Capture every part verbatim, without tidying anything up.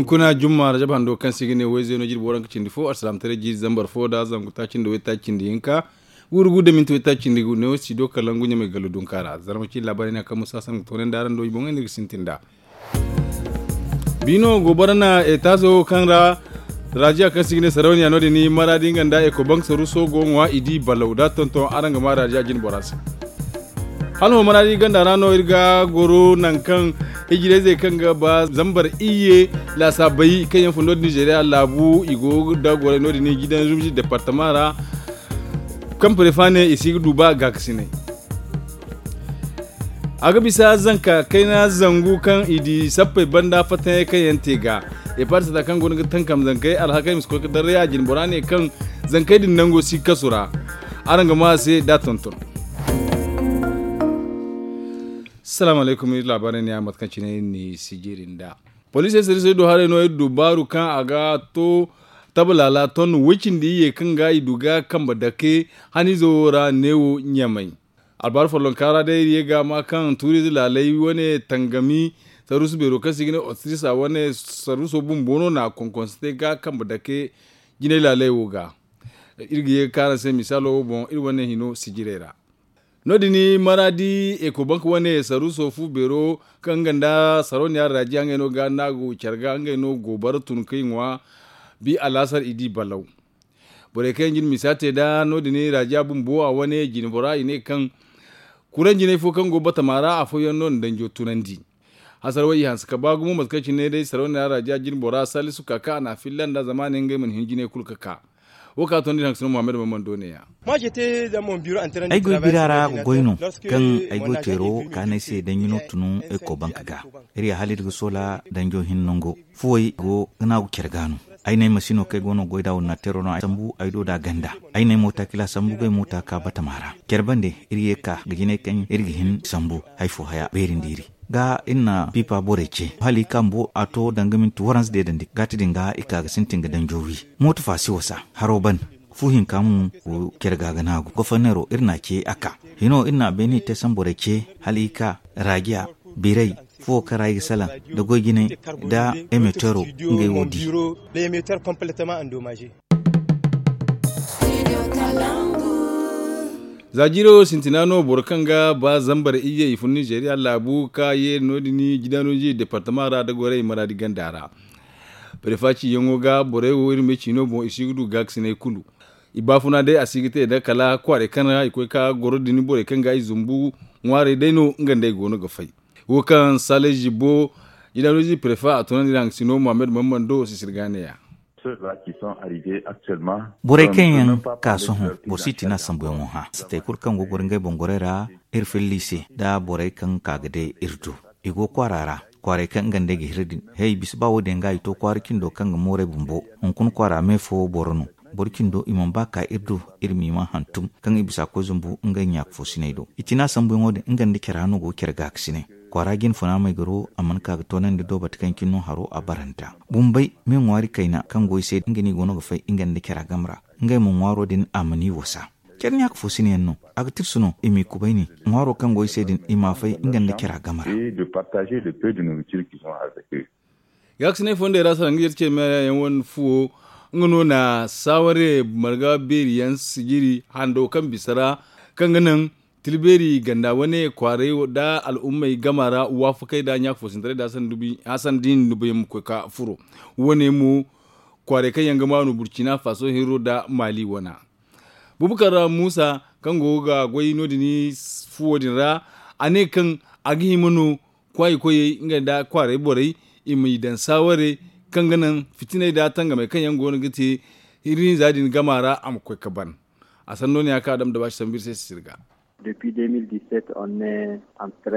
Kuna jumma rajab hando kaŋ se i ga ne wayze no jirbi waranka cindi fo alsalaamataray jiiri zambar fo da zangu taaci nda waytaaci cindi hinka. Guuru gu da minti waytaaci cindi gu ne wo si do kalangu ɲamay gallo dunka ra zarma ci labaari ne kaŋ musa san ga toonandi araŋ do i boŋey no iri ga sintin nd'a. Biino goobara na etaazo kaŋ ra raajiya kaŋ se i ga ne sarauniya no- din maraadi nga nda ekobank saruuso go ŋwa i di balaw da tonton araŋ ga ma raajiya jine bora se. Hala homa na di ganda ra no iri ga goro nangu kaŋ hijirayzey kaŋ ga ba zambar iyye laasaabey kaŋ yaŋ fundo din nizeeriya laabu i go da goray no- din jidan zumzi departama ra. Kaŋ prefa ne i si ga du ba gaakasinay. A ga bisa zanka kayna zangu kaŋ i di sappey banda fattaŋey kaŋ yaŋ te ga. Eparsata kaŋ go no ga tankam zankey alhakey ma si koy ga darray a jine bora ne kaŋ zankey din nango si kasu ra. Araŋ ga ma a se da tonton. Salaamu alaykum iri laabaarey ne a mate kaŋ cine iri n'i sijiri nd'a. Poliisey sirrisey do haray no iri du baaru kaŋ a ga to tabalaala ton woy cindi iyye kaŋ ga i du ga kambe dake haniizo wo ra neewo ɲamay. Albaari follonka ra day iri ye ga ma kaŋ tuuriize laaley wane tangami saruusu beero kaŋ se i ga ne ostrisa wane saruuso bumbo no na a konkonse te ga kambe dake jinay laaley wo ga. Iri ga ye ga kaara se misaalo wo boŋ iri wane hino sijirey ra. No- din maraadi ekobank wane saruuso fu beero kaŋ nga nda sarauniya raajiya ngey no ga naagu care ga ngey no goobara tun kay ŋwa. Bi alaasar i di balaw. Borey kaŋ yaŋ jine misa te nd'a no- din raajiya bumbo a wane jine bora i ne kaŋ kuraŋ jinay fo kaŋ go batama ra afooyaŋ no na danjo tunandi. Hasara way i hanse ka ba gumo mate kaŋ cine day sarauniya raajiya jine bora salisu ka ka a na a filla nd'a zama a ne ngey mana hin jinay kulu ga ka. Wo ka tondi hanse no muhammad mamman do ne ya. Ay goy bira ra ga goy no kaŋ ay goy teero ka no ay se danji no tunu ekobank ga. Iri ya hala iri ga soola danjo hin nango fuwey go ga naagu care ga no. Ay no ay masino kaŋ ay go no goy nd'a ordinateero no ay sambu ay do nd'a ganda. Ay no ay moota kila sambu ga ay moota ka batama ra care bande iri ye ka ga jinay kaŋ iri ga hin sambu hari fo haya beeri nda iri ga iri na piipa borey ce hala i ka bumbo a to danga minti waranza deedandi gaati din ga i ka ga sintin ga danjo wi. Mooto fa si wasa haro ban fu hinka mo go care ga ga naagu goforneero iri na a ce a ka hino iri na a beeni te samborey ce hala i ka raajiya biray fuwo kaŋ ra i ga salaŋ nda goy jinay nda emeteero ngey wo di. Za jiiro sintina no boro kaŋ ga ba zambar iyye i fun nizeeriya laabu ka ye no- din jidaanoji departama ra nda goray maraadi ganda ra. Prefa ciyaŋo ga borey wo iri ma ay ciino boŋ i si ga du gaakasinay kulu. I baafuna day a si ga te nda kala kwaaray kaŋ ra i koy ka goro din borey kaŋ ga i zumbu ŋwaaray day no nga nda ay go no ga fay. Wo kaŋ sale zibo jidaanoji prefa a tunandi nda hangasino muhammad mamman do sisir ga ne ya. Borey kaŋ yaŋ ka sohõ boro si ti no a sambuyaŋo hã satey kulu kaŋ go ga goro ngey boŋ gorey ra. Iri filli se nda borey kaŋ ka ga day iri do i go kwaara ra. Kwaaray kaŋ nga nd'ey ga hira din he i bisa ba wo- din ga i to kwaara cindo kaŋ ga mooray bumbo hunkuna kwaara me fo boro no. Boro cindo i mana ba ka iri do iri m'i maa hantum kaŋ i bisa koy zumbu ngey ɲaaka fo sinay do i ci no a sambuyaŋo din nga nda care hano go ga care gaakasinay. Kwaara jine funa maygaro a mana ka ga toonandi do bate kaŋ cine no haro a baranta. Bumbey me ŋwaari kayna kaŋ go i se nga no i go no ga fay nga nda cara game ra. Ngey mo ŋwaaro din a mana i wasa care ɲaaka fo sinayaŋ no. A ga tirsu no i m'i kubayni ŋwaaro kaŋ go i se din i m'a fay nga nda cara game ra. Gaakasinay fondey ra sara nga yar ce meera yaŋ wane fuwo nga no na saaware marga beeri yaŋ sijiri hando kaŋ bisa ra kaŋ ga naŋ tilbeeri ganda wane kwaaray nda al'ummey gama ra waafakey nda ɲaaka fo sintaray nda hasan diini dubu yaŋ ma koy ka furo. Wane mo kwaaray kaŋ yaŋ ga maanu burcina faso hinro nda maali wana. Bubakar muusa kaŋ go ga goy no- din fuwo din ra a ne kaŋ a ga hima no kwaayi koyey nga nda kwaaray borey i m'i daŋ saaware kaŋ ga naŋ fitiney nda tangamey kaŋ yaŋ go no ga te hirihinza din gama ra a ma koy ga ban. A sanno ne ya kaŋ a dam da baasi sambu iri se sisiri ga.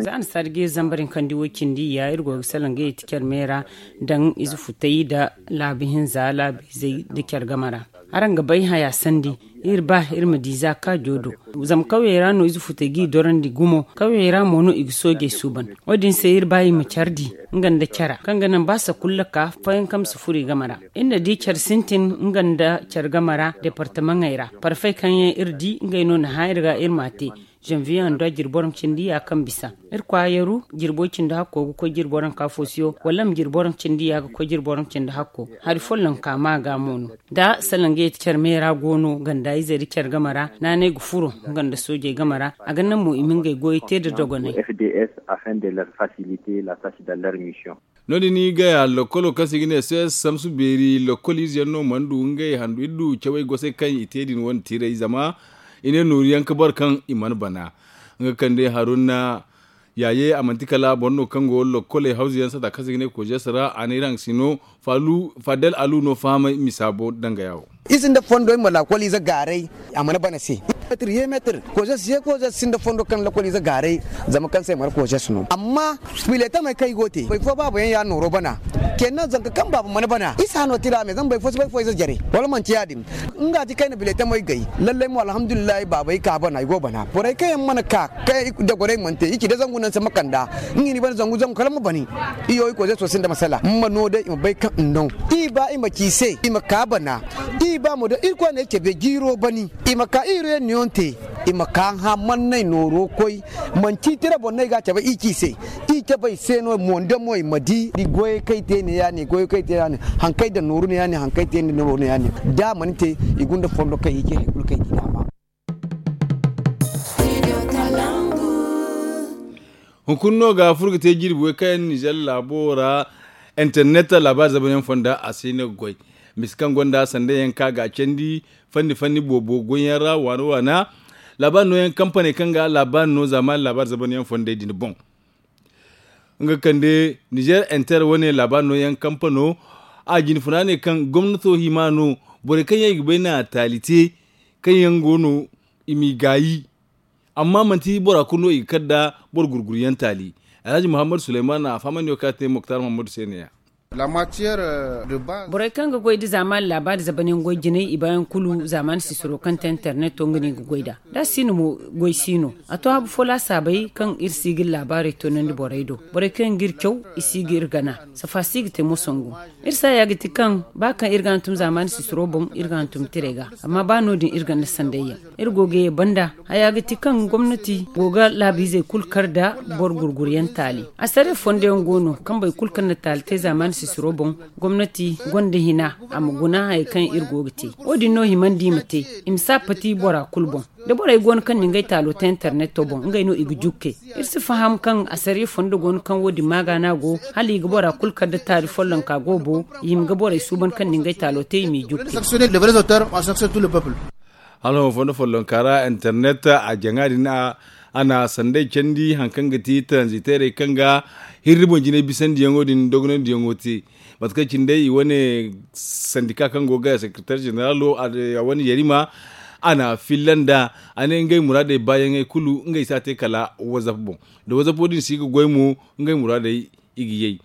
Za annasaari ga iri zambar hinkandi wo cindi ya iri go ga salaŋ ga yeti care me ra daŋ ize futay nda laabu hinza laabu izey nda care game ra. Araŋ ga bay haya sandi Iri ba iri ma di za kaajo do. Zama kawyey ra no ize futey g'i dorandi gumo. Kawyey ra mo no i ga soojey suuban. Wo- din se iri ba i ma care di nga nda cara kaŋ ga naŋ ba sakulla ka fayanka ma si furo i game ra. Iri na di care sintin nga nda care game ra deepartamaŋey ra. Parfey kaŋ yaŋ iri di ngey no na hã iri ga iri m'a te. Zanviye hando a jirbi boro cindi ya kaŋ bisa. Irkoy a yaru jirbo cindi hakko ga koy jirbo ranka foosiyo wala ma jirbo ranka cindi ya ga koy jirbo ranka cindi hakko. Hari follonka ma ga mo no. Da salaŋ ga yeti care meera go no ganda izey da care game ra naanay ga furo nga nda soojey game ra. A ga naŋ mo i ma ngey goyey te nda dogonay. F D S afin de leur faciliter la tâche dans leur mission. No- din i gaya lokkolo kaŋ se i ga ne cs samsu beeri lokkol ize yaŋ no mana du ngey handu iri du cawey gosey kaŋ i te din wane tiray zama i ne nooru yaŋ ga boro kaŋ i mana bana. Nga kande haruna yaaye a manti kala boro no kaŋ go lokkoley hawzu yaŋ sata kaŋ se i ga ne kojes ra a ne iri haŋ ga si no. Fadel alu no fahamay misa bo danga yawo. I sinda fondo i ma laakol ize gaaray a mana bana se. Meetir ye meetir kojes ye kojes sinda fondo kaŋ laakol ize gaaray. Zama kaŋ se mara kojes no amma filetamey kaŋ i go te boro fo baaba yaŋ ya nooro bana. Kenan zanka kaŋ baaba mana bana i si hano tira me zama boro fo si bay fo ize jare wala manti ya- din. Nga ti kaŋ i na biletamey gay lallay mo alhamdulillahi baabey ka bana i go bana borey kaŋ yaŋ mana ka kaŋ dagwarey mana te i ci da zangu naŋ se ma kand'a. Nga i ni bana zangu zangu kala ma bani. Iyo i koze sosai nda masala ma no day i ma bay kaŋ i no. I ba i ma ci i se i ma ka bana. I ba mo day irkoy ne cabe jiiro bani. I ma ka iri yaŋ niyoŋ te i ma ka hã manney nooro koy. Manti tira boŋ no ay ga a cabe i ci i se. I cabe i se no mo nda mo i ma di goyey kaŋ i te ne ya- ne goyey kaŋ i te ne ya- ne haŋ kaŋ ay daŋ nooru ne ya- ne haŋ kaŋ ay te ne nooru ne ya- ne. Da a mana te i gunda fondo kaŋ i ce hari kulu kaŋ i di dama. Hunkuna no ga furo ga te jirbi way kaŋ yaŋ nizer laabo ra. Internet laabaari zaban yaŋ fonda a si hin ga goy. Misa kaŋ gonda sanda yaŋ kaŋ a ga a candi fanni fanni boobo goyyaŋ ra waana waana. Laabaari nooyaŋ kampaney kaŋ ga laabaari no zaamaani laabaari zaban yaŋ fondey din boŋ. Nga kande nizer inter wane laabaari nooyaŋ kampano. A jine funa ne kaŋ gomnato hima no borey kaŋ yaŋ i ga bay na taali te kaŋ yaŋ go no i m'i gaayi. Amma manti bora kulu no i ga kar nda boro gurguryaŋ taali. Alhaji muhammadu suleymana a fahamandi wo kaŋ a te moktar muhammadu se ne- ya. Borey kaŋ ga goy nda zaamaani laabaari zaban yaŋ goy jinay i baayaŋ kulu zaamaani sisiro kaŋ te interneto nga no i ga goy nd'a. Da a si no mo goy si no. A to habu fo laasaabey kaŋ iri si ga iri laabaarey toonandi borey do. Borey kaŋ yaŋ ga iri caw i si ga iri gana. Safa si ga te mo sangu. Iri saaya ga ti kaŋ ba kaŋ iri ga hantum zaamaani sisiro boŋ iri ga hantum tirey ga. Amma ba no- din iri ganda sanday yaŋ iri go ga ye banda. Haya ga ti kaŋ gomnati go ga laabiizey kulu kar nda boro gurguryaŋ taali. Asariya fondo yaŋ go no kaŋ boro kulu kaŋ na taali te zaamaani sisiro boŋ. Gomnati gonda hina a ma guna hayey kaŋ iri go ga te. Wo- din no himandi i ma te i ma si a pati bora kulu boŋ. Da borey go no kaŋ na ngey taalo te interneto boŋ ngey no i ga jukke. Iri si faham kaŋ asariya fondo go no kaŋ wo- din maaga no a go hala i ga bora kulu kar nda taali follonka goobo. I hima ga borey suuban kaŋ na ngey taalo te i m'i jukke. Hala hõ fondo follonka ra internet a jaŋa din a na sanday candi hari kaŋ ga ti taranziteerey kaŋ ga hirri boŋ jinay bisandiyaŋo din dogonandiyaŋo te. Mate kaŋ cine day i wane sandika kaŋ go ga sekreteer jeneralo a wane yarima a na filla nd'a. A ne ngey muraadey baayaŋey kulu ngey si a te kala wazap boŋ. Da wazap wo- din si ga goy mo ngey muraadey i ga yay.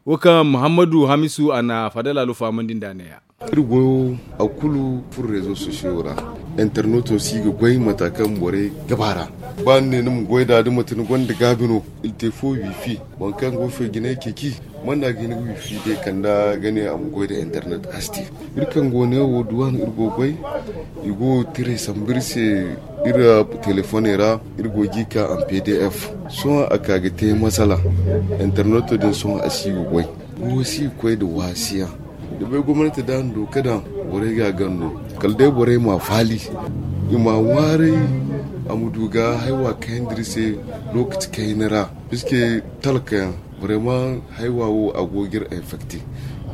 Wo kaŋ muhammadu hamisu a na fadala lufa mandi nd'a neeya. Iri goyo a kulu furo rezo sosiyo ra. Interneto si ga goy mata kaŋ borey ga ba ra. Ba ni ne ni ma goy nd'a da mate ni gonda gaabi no. Iri te fo wifi boro kaŋ go feejinay ceeci. Manda ga hin ga wifi day kanda ga ne a ma goy nda internet a si te. Iri kaŋ go neewo duwaan iri go goy. I go tiray sambu iri se iri telefoney ra. Iri go ga i ka en pdf. Sohõ a ka ga te masala. Interneto din sohõ a si ga goy. Wo si ga koy nda waasiya. Da bay gomnati da a na du ka daŋ borey ga a ganda no. Kala day borey ma faali i ma a ŋwaaray. A ma du ga haywa kayandi iri se lookaci kayna ra. Piske talka yaŋ barema haywa wo a go ga iri infekte.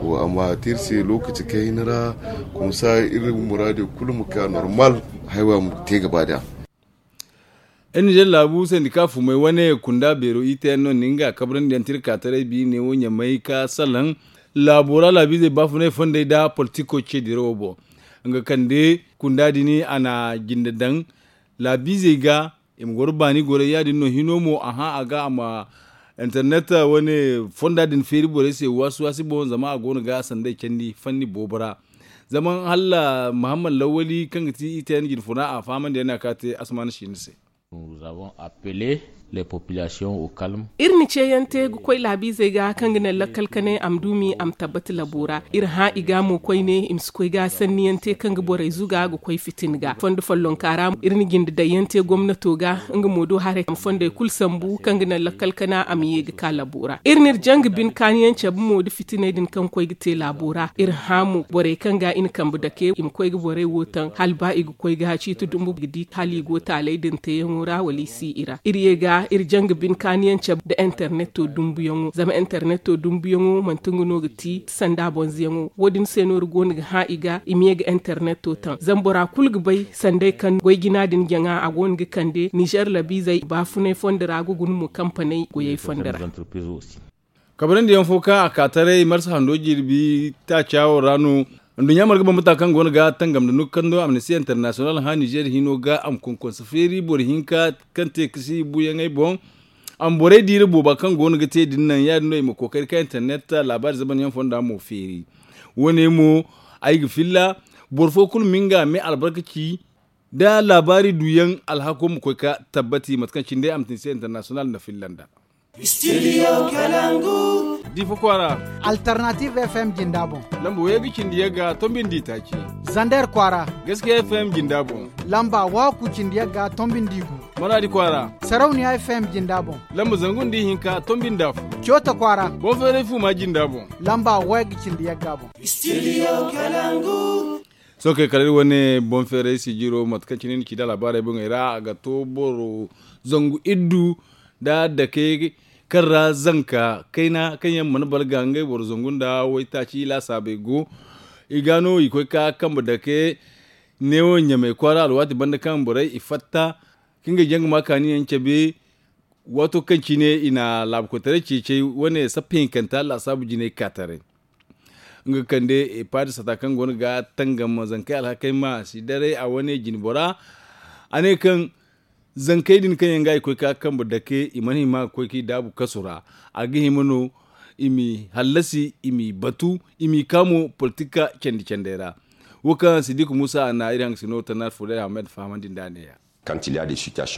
Wo a ma te iri se lookaci kayna ra. Komsa iri muraadey kulu ma ka normal. Haywa ma te gaba da. Iri nizer laabu sandika fumay wane kunda beero itayaŋ no nda nga kabrandi yaŋ tirka taray bi neewo ɲamay ka salaŋ. Laabo ra laabiizey baafunay fondey nda politiko ce dirawo boŋ. Nga kande kunda din a na jinde daŋ laabiizey ga. I ma goro baani goray ya- din no hino mo a hã a ga a ma internet wane fonda din feeri borey se waasi waasi boŋ zama a go no ga sanday candi fanni boobo ra. Zama hala muhammad lawwali kaŋ ga ti i te yaŋ jine funa a fahamandi yaŋ no a ka te asamaana siina se. Iri na ceeyaŋ te ga koy laabiizey ga kaŋ ga naŋ lakkal kanay a ma duumi a ma tabbati labo ra. Iri hã i ga mo koyne i ma si koy ga sanniyaŋ te kaŋ ga borey zuga ga koy fitina ga fondo follonka ra. Iri na jinde dayyaŋ te gomnato ga nga mo do haray a ma fondey kulu sambu kaŋ ga naŋ lakkal kana a ma ye ga ka labo ra. Iri na iri janga bine kaaniyaŋ cabe mo nda fitiney din kaŋ koy ga te laabo ra. Iri hã mo borey kaŋ ga i na kambe dake i ma koy ga borey wo taŋ hala ba i ga koy ga ciiti dumbu ga di hala i go taaley din teeyaŋo ra wala i si i ra. Iri ye ga iri janga bine kaaniyaŋ cabe nda interneto dumbuyaŋo zama interneto dumbuyaŋo manti nga no ga ti sanda bonzoyaŋo wo- din se no iri go no ga hã i ga i ma ye ga interneto taŋ zama bora kulu ga bay sanday kaŋ goy jina din jaŋa a go no ga kande nizer labiizey baafunay fondo ra ga guna mo kampaney goyey fondo ra. Kabarandiyaŋ fo kaŋ a ka taray marsa hando jirbi taaca wo ra no. Nduɲɲa marga bambata kaŋ go no ga tangam nda nukando amnisti international hã nizer hino ga a ma konkonsa feeri boro hinka kaŋ te ga si buuyaŋey boŋ. A ma borey diira booba kaŋ go no ga te din naŋ ya- din no i ma kookari ka internet laabaari zamanyaŋ fonda mo feeri. Wo- ne mo ay ga filla boro fo kulu ma nga me albarkaci da laabaari duuyaŋ alhako ma koy ka tabbati mate kaŋ cine day amnisti international na filla nd'a. Studio Kalangu. Difa kwaara. Alternative F M jinda boŋ. Lamba way ga cindi yagga tombindi taaci. Zander kwaara. Gaskiya F M jinda boŋ. Lamba waaku cindi yagga tombindi gu. Maradi kwaara. Sarauniya F M jinda boŋ. Lamba zangu nda ihinka tombindi afo. Coota kwaara. Boŋ feeray fuma jinda boŋ. Lamba way ga cindi yagga boŋ. Studio Kalangu. Sohõ kay kala iri wane boŋ feeray sijiro mate kaŋ cine ni ci da laabaarey boŋey ra a ga to boro zangu iddu nda dake kaŋ ra zanka kayna kaŋ yaŋ mana balga ngey boro zangu nda waytaaci laasaabey go. I ga no i koy ka kambe dake neewo ɲamey kwaara alwaati banda kaŋ borey i fatta ka ngey jaŋ ga ma kaani yaŋ cabe. Waato kaŋ cine i na laabu koytaray ceecey wane sappa hinkanta laasaabu jinay ka taray. Nga kande epaadi sata kaŋ go no ga tangam zankey alhakey ma si daray a wane jinbora. A ne kaŋ zankey din kaŋ yaŋ ga i koy ka kambe dake i mana hima ga koy k'i daabu kasu ra. A ga hima no i m'i hallasi i m'i batu i m'i ka mo politika candi candey ra. Wo kaŋ sidiku musa a na iri haŋ ga si no tannar fuuday ahmed fahamandi nd'a neeya.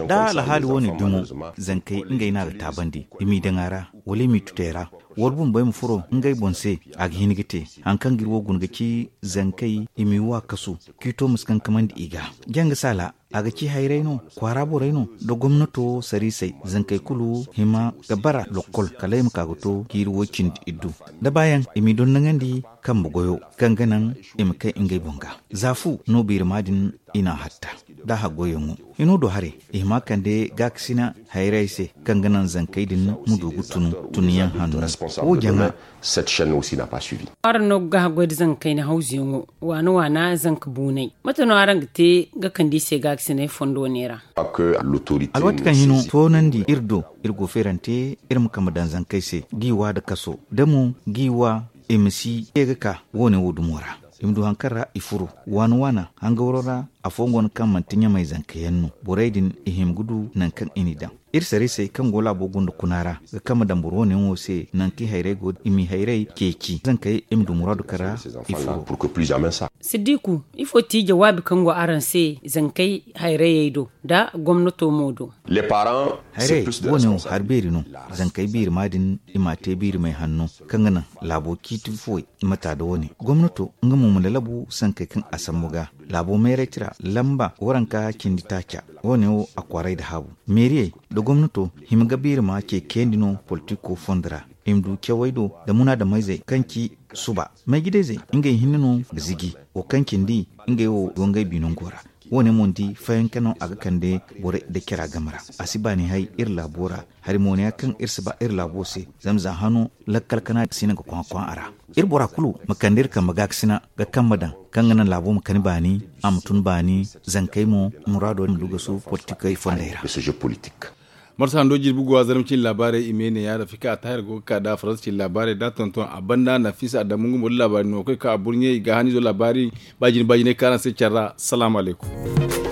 Da alhaali wo- ne dumo zankey ngey no a ga taabandi i m'i daŋ a ra wala i m'i tutey ra. War bumbey ma furo ngey boŋ se a ga hin ga te. Hari kaŋ ga iri wo guna ga ci zankey i m'i wa kasu kiito ma si kankamandi i ga. Janga saala a ga ci hayray no kwaara borey no nda gomnato sariisey zankey kulu hima ga bara lokkol kala i ma ka ga to jiiri woy cindi iddu da baayaŋ i m'i dondoŋandi kambe goyo kaŋ ga naŋ i ma kay ngey boŋ ga. Za fu no biirima din i n'a hatta da haggoyyaŋo. Hino do haray i hima kande gaakasina hayrayey se kaŋ ga naŋ zankey din ma du ga tun tunyaŋ hanno. Wo jaŋa. Araŋ no ga haggoy da zankey na hawzuyaŋo waana waana zanka buunay mate no araŋ ga te ga kande i se gaakasinay fondo ne ra? Alwaati kaŋ hino toonandi iri do iri go feerante iri ma kambe daŋ zankey se g'i wa nda kaso da mo g'i wa i ma si ye ga ka wo- ne wo dumo ra. I ma du hari kaŋ ra i furo waana waana hangawro ra. Afooyaŋ go no kaŋ manti ɲamay zanka yaŋ no borey din i hima ga du nangu kaŋ i n'i daŋ. Iri sariisey kaŋ go laabo gunda kuna ra ga kambe daŋ boro wo- ne yaŋo se nangu kaŋ i hayray go i m'i hayray ceeci zankey i ma du muraadu kaŋ ra i furo. Siddiku, ifo ti jawaabi kaŋ go araŋ se zankey hayrayey do nda gomnato mo do? Hayray wo- ne wo hari beeri no. Zankey biirima din i m'a te biirimay hanno kaŋ ga naŋ laabo ciiti fuwey. Mata nda wo- ne gomnato nga mo ma lalabu sankey kaŋ a sambu ga laabo meeraytira lamba waranka cindi taaca. Wo- ne wo a kwaaray nda haabu meeriyey nda gomnato hima ga biirima ce kayandi no politiko fondo ra. I ma du cawey do nda munaadameyzey kaŋ ci suba maygidayzey ngey hinne no ga ziji wo kaŋ cindi ngey wo go ngey binango ra. Wo- ne mo ni di fayanka no a ga kande borey nda cara game ra. A si baani hay iri laabo ra hari mo ne ya kaŋ iri si ba iri laabo se. Zama za hano lakkal kana si no ga kwaaŋ-kwaaŋ a ra. Iri bora kulu ma kande iri kambe gaakasina ga kambe daŋ kaŋ ga naŋ laabo ma kani baani a ma tun baani zankey mo muraado ma du ga su politikey fondey ra. Marsa hando jirbi go a zarma cine laabaarey i me ne ya rafika a tahir go ga ka da faransa cine laabaarey da tonton a banda nafisa adamu nga mo da laabaari no ga koy ka a burɲe i ga hanizo laabaari baajine baajiney kaaraŋ se care ra salaamu alaykum.